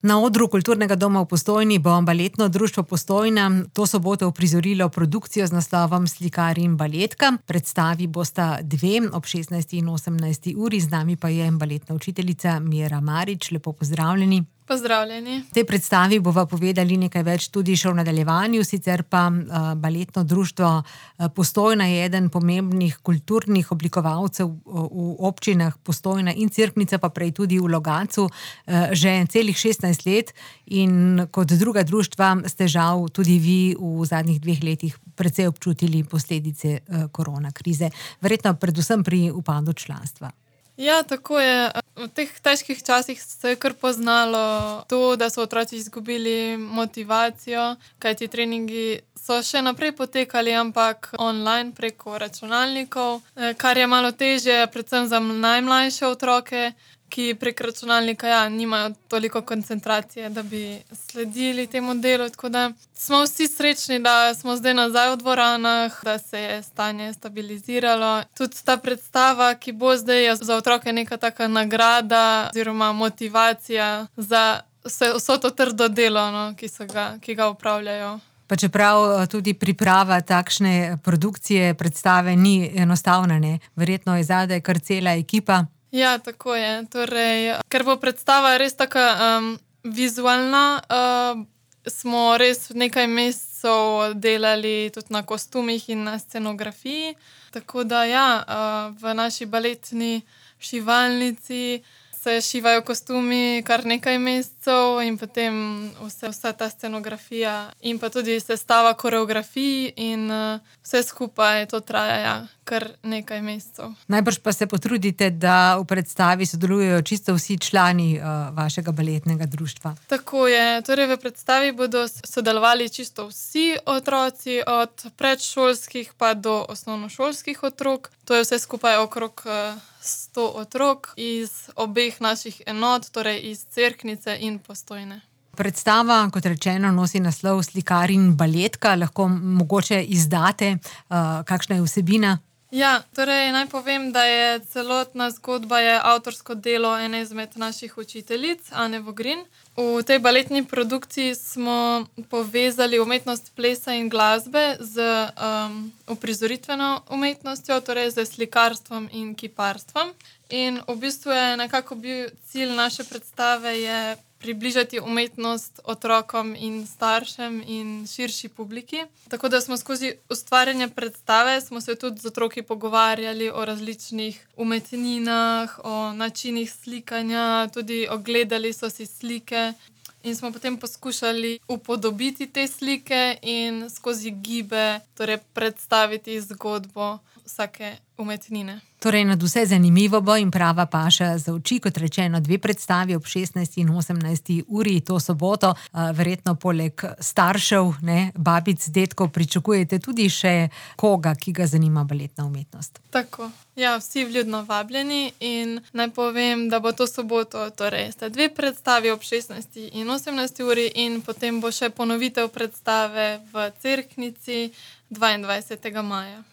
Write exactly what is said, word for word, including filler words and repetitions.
Na odru Kulturnega doma v Postojni bo baletno društvo Postojna to soboto uprizorilo produkcijo z naslovom Slikar in baletka. Predstavi bosta dve, ob šestnajsti in osemnajsti uri, z nami pa je baletna učiteljica Mira Marič. Lepo pozdravljeni. Pozdravljeni. V tej predstavi bova povedali nekaj več tudi še v nadaljevanju, sicer pa uh, baletno društvo uh, Postojna je eden pomembnih kulturnih oblikovalcev v, v občinah Postojna in Cerknica, pa prej tudi v Logatcu, uh, že celih šestnajst let, in kot druga društva ste žal tudi vi v zadnjih dveh letih precej občutili posledice uh, korona krize, verjetno predvsem pri upadu članstva. Ja, tako je. V teh težkih časih se je kar poznalo to, da so otroci izgubili motivacijo, kajti treningi so še naprej potekali, ampak online preko računalnikov, kar je malo težje, predvsem za najmlajše otroke, ki prek računalnika ja, nimajo toliko koncentracije, da bi sledili temu delu, tako da smo vsi srečni, da smo zdaj nazaj v dvoranah, da se je stanje stabiliziralo. Tudi ta predstava, ki bo zdaj, je za otroke neka taka nagrada oziroma motivacija za vse, vso to trdo delo, no, ki so ga, ki ga opravljajo. Pa čeprav tudi priprava takšne produkcije, predstave ni enostavna, ne? Verjetno je zadaj kar cela ekipa. Ja, tako je. Torej, ker bo predstava res taka um, vizualna, uh, smo res nekaj mesecev delali tudi na kostumih in na scenografiji. Tako da ja, uh, v naši baletni šivalnici se šivajo kostumi kar nekaj mesecev in potem vse, vsa ta scenografija in pa tudi sestava koreografij in uh, vse skupaj to traja ja, kar nekaj mesecev. Najbrž pa se potrudite, da v predstavi sodelujejo čisto vsi člani uh, vašega baletnega društva. Tako je. Torej v predstavi bodo sodelovali čisto vsi otroci, od predšolskih pa do osnovnošolskih otrok. To je vse skupaj okrog uh, sto otrok iz obeh naših enot, torej iz Cerknice in Postojne. Predstava, kot rečeno, nosi naslov Slikar in baletka. Lahko mogoče izdate, uh, kakšna je vsebina? Ja, torej naj povem, da je celotna zgodba je avtorsko delo ene izmed naših učiteljic, Ane Vogrin. V tej baletni produkciji smo povezali umetnost plesa in glasbe z um, uprizoritveno umetnostjo, torej z slikarstvom in kiparstvom. In v bistvu je nekako bil cilj naše predstave je približati umetnost otrokom in staršem in širši publiki. Tako da smo skozi ustvarjanje predstave smo se tudi z otroki pogovarjali o različnih umetninah, o načinih slikanja, tudi ogledali so si slike in smo potem poskušali upodobiti te slike in skozi gibe torej predstaviti zgodbo vsake umetnine. Torej, nadvse zanimivo bo in prava paša za oči, kot rečeno, dve predstavi ob šestnajsti in osemnajsti uri to soboto. Verjetno poleg staršev, ne, babic, dedkov, pričakujete tudi še koga, ki ga zanima baletna umetnost. Tako. Ja, vsi vljudno vabljeni in naj povem, da bo to soboto, torej sta dve predstavi ob šestnajsti in osemnajsti uri in potem bo še ponovitev predstave v Cerknici dvaindvajsetega maja.